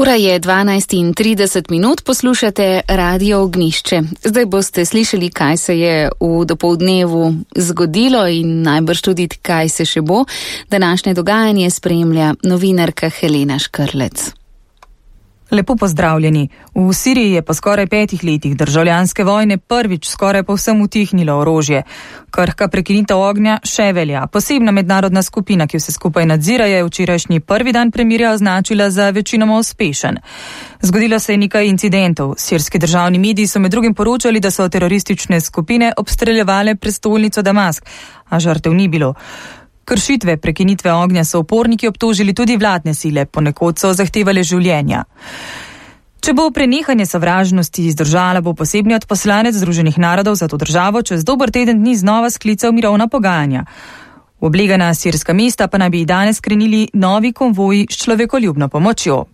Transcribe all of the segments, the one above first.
Ura je 12:30, poslušate Radio Ognjišče. Zdaj boste slišali, kaj se je v dopoldnevu zgodilo in najbrž tudi, kaj se še bo. Današnje dogajanje spremlja novinarka Helena Škrlec. Lepo pozdravljeni. V Siriji je po skoraj 5 letih državljanske vojne prvič skoraj povsem utihnilo orožje. Krhka prekinitev ognja še velja. Posebna mednarodna skupina, ki vse skupaj nadzira, je včerajšnji prvi dan premirja označila za večinoma uspešen. Zgodilo se je nekaj incidentov. Sirski državni mediji so med drugim poročali, da so teroristične skupine obstreljevale prestolnico Damask, a žrtev ni bilo. Kršitve prekinitve ognja so uporniki obtožili tudi vladne sile, ponekod so zahtevali življenja. Če bo prenehanje sovražnosti izdržala, bo posebni odposlanec Združenih narodov za to državo čez dober teden dni znova sklical mirovna pogajanja. V oblegana sirska mesta pa naj bi danes skrenili novi konvoji s človekoljubno pomočjo.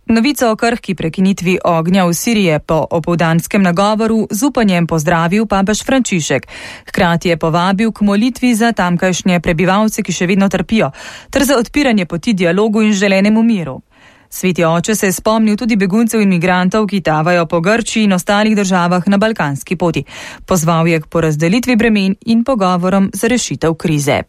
Novico o krhki prekinitvi ognja v Siriji je po opoldanskem nagovoru z upanjem pozdravil papež Frančišek. Hkrati je povabil k molitvi za tamkajšnje prebivalce, ki še vedno trpijo, ter za odpiranje poti dialogu in želenemu miru. Sveti oče se je spomnil tudi beguncev in migrantov, ki tavajo po Grčiji in ostalih državah na balkanski poti. Pozval je k porazdelitvi bremen in pogovorom za rešitev krize.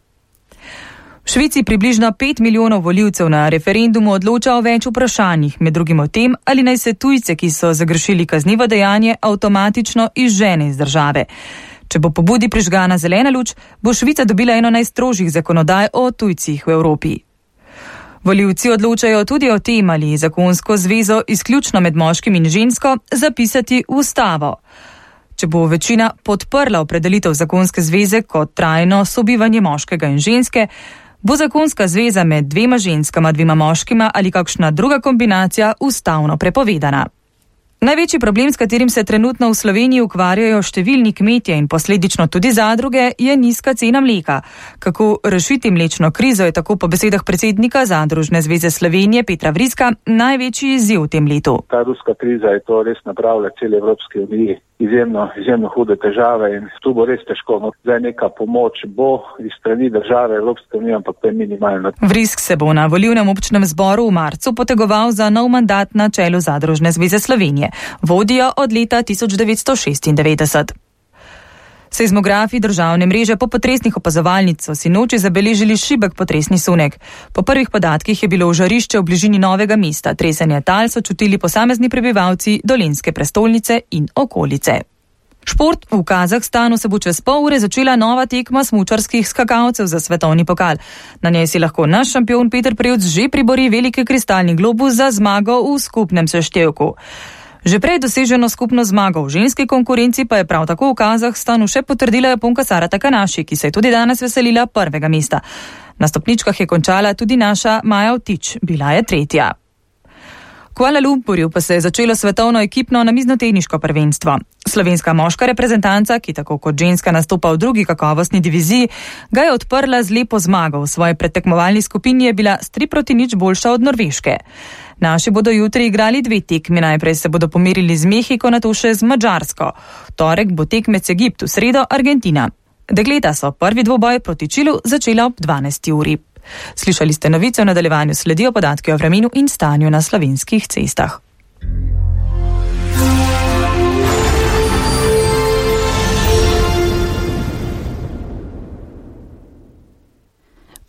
V Švici približno 5 milijonov volivcev na referendumu odloča o več vprašanjih, med drugim o tem, ali naj se tujce, ki so zagrešili kaznivo dejanje, avtomatično izžene iz države. Če bo pobudi prižgana zelena luč, bo Švica dobila eno najstrožjih zakonodaj o tujcih v Evropi. Volivci odločajo tudi o tem, ali zakonsko zvezo izključno med moškim in žensko zapisati v ustavo. Če bo večina podprla opredelitev zakonske zveze kot trajno sobivanje moškega in ženske, bo zakonska zveza med dvema ženskama, dvema moškima ali kakšna druga kombinacija ustavno prepovedana. Največji problem, s katerim se trenutno v Sloveniji ukvarjajo številni kmetje in posledično tudi zadruge, je nizka cena mleka. Kako rešiti mlečno krizo je tako po besedah predsednika Zadružne zveze Slovenije Petra Vriska največji izziv v tem letu. Ta ruska kriza je to res napravila celi Evropski uniji. Izjemno hude težave in tu bo res težko. Zdaj neka pomoč bo iz strani države Evropske unije, ampak to je minimalno. Vrisk se bo na volilnem občnem zboru v marcu potegoval za nov mandat na čelu Zadružne zveze Slovenije. Vodijo od leta 1996. Seizmografi državne mreže po potresnih opazovalnic so sinoči zabeležili šibek potresni sunek. Po prvih podatkih je bilo v žarišče v bližini Novega mesta. Tresenje tal so čutili posamezni prebivalci Dolenjske prestolnice in okolice. Šport v Kazahstanu se bo čez pol ure začela nova tekma smučarskih skakalcev za svetovni pokal. Na njej si lahko naš šampion Peter Prevc že pribori veliki kristalni globus za zmago v skupnem seštevku. Že prej doseženo skupno zmago v ženski konkurenci pa je prav tako v Kazahstanu še potrdila Japonka Sara Takanaši, ki se je tudi danes veselila prvega mesta. Na stopničkah je končala tudi naša Maja Vtič, bila je tretja. V Kuala Lumpurju pa se je začelo svetovno ekipno namiznoteniško prvenstvo. Slovenska moška reprezentanca, ki tako kot ženska nastopa v drugi kakovostni diviziji, ga je odprla z lepo zmago. V svoji predtekmovalni skupini je bila s 3-0 boljša od Norveške. Naši bodo jutri igrali 2 tekmi, najprej se bodo pomerili z Mehiko, nato še z Madžarsko. V torek bo tekmec Egipt, v sredo Argentina. Dekleta so prvi dvoboj proti Čilu začela ob 12. uri. Slišali ste novice, v nadaljevanju sledijo podatki o vremenu in stanju na slovenskih cestah.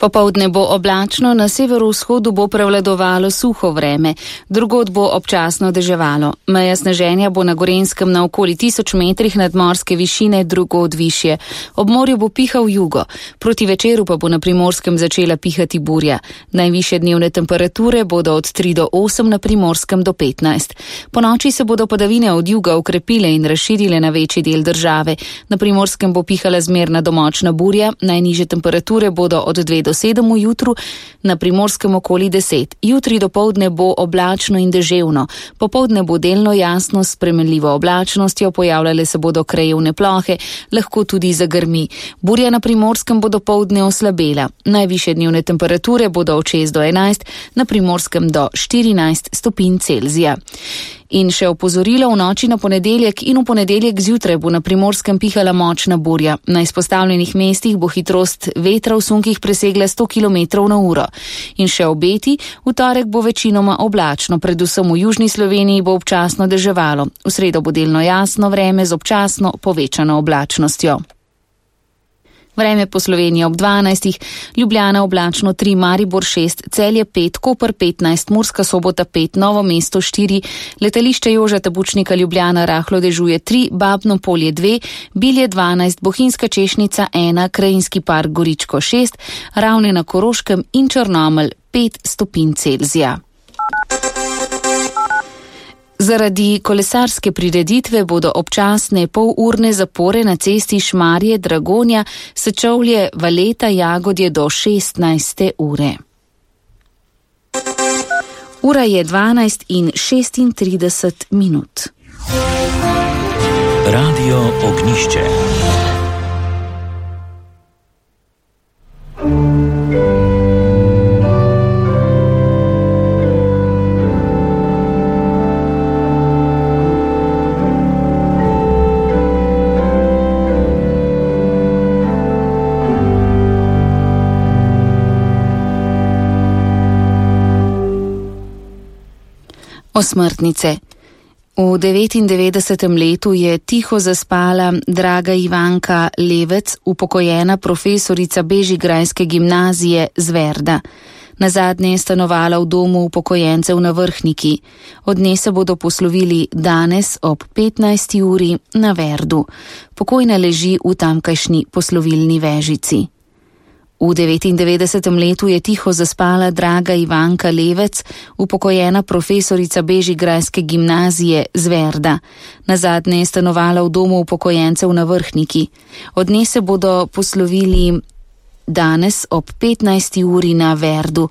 Popoldne bo oblačno, na severovzhodu bo prevladovalo suho vreme, drugod bo občasno deževalo. Meja sneženja bo na Gorenjskem na okoli 1000 metrih nadmorske višine, drugod višje. Ob morju bo pihal jugo, proti večeru pa bo na Primorskem začela pihati burja. Najvišje dnevne temperature bodo od 3 do 8, na Primorskem do 15. Po noči se bodo padavine od juga okrepile in razširile na večji del države. Na Primorskem bo pihala zmerna do močna burja, najnižje temperature bodo od 2 do 7 v jutru, na Primorskem okoli 10. Jutri dopoldne bo oblačno in deževno. Popoldne bo delno jasno s spremenljivo oblačnostjo, pojavljale se bodo krajevne plohe, lahko tudi zagrmi. Burja na Primorskem bo dopoldne oslabela. Najvišje dnevne temperature bodo od 6 do 11, na Primorskem do 14 stopinj Celzija. In še opozorilo, v noči na ponedeljek in v ponedeljek zjutraj bo na Primorskem pihala močna burja. Na izpostavljenih mestih bo hitrost vetra v sunkih presegla 100 km/h. In še obeti, v torek bo večinoma oblačno, predvsem v južni Sloveniji bo občasno deževalo. V sredo bo delno jasno vreme z občasno povečano oblačnostjo. Vreme po Sloveniji ob 12. Ljubljana oblačno 3, Maribor 6, Celje 5, Koper 15, Murska Sobota 5, Novo mesto 4, letališče Jožeta Pučnika Ljubljana rahlo dežuje 3, Babno Polje 2, Bilje 12, Bohinjska Češnica 1, Krajinski park Goričko 6, Ravne na Koroškem in Črnomelj 5 stopinj Celzija. Zaradi kolesarske prireditve bodo občasne polurne zapore na cesti Šmarje-Dragonja, Sečovlje-Valeta Jagodje do 16. ure. Ura je 12:36. Radio Ognišče. Osmrtnice. V 99. letu je tiho zaspala draga Ivanka Levec, upokojena profesorica bežigrajske gimnazije Zverda. Nazadnje je stanovala v domu upokojencev na Vrhniki. Od nje se bodo poslovili danes ob 15. uri na Verdu. Pokojna leži v tamkajšnji poslovilni vežici. V 99. letu je tiho zaspala draga Ivanka Levec, upokojena profesorica bežigrajske gimnazije Zverda. Nazadnje je stanovala v domu upokojencev na Vrhniki. Od nje se bodo poslovili danes ob 15. uri na Verdu.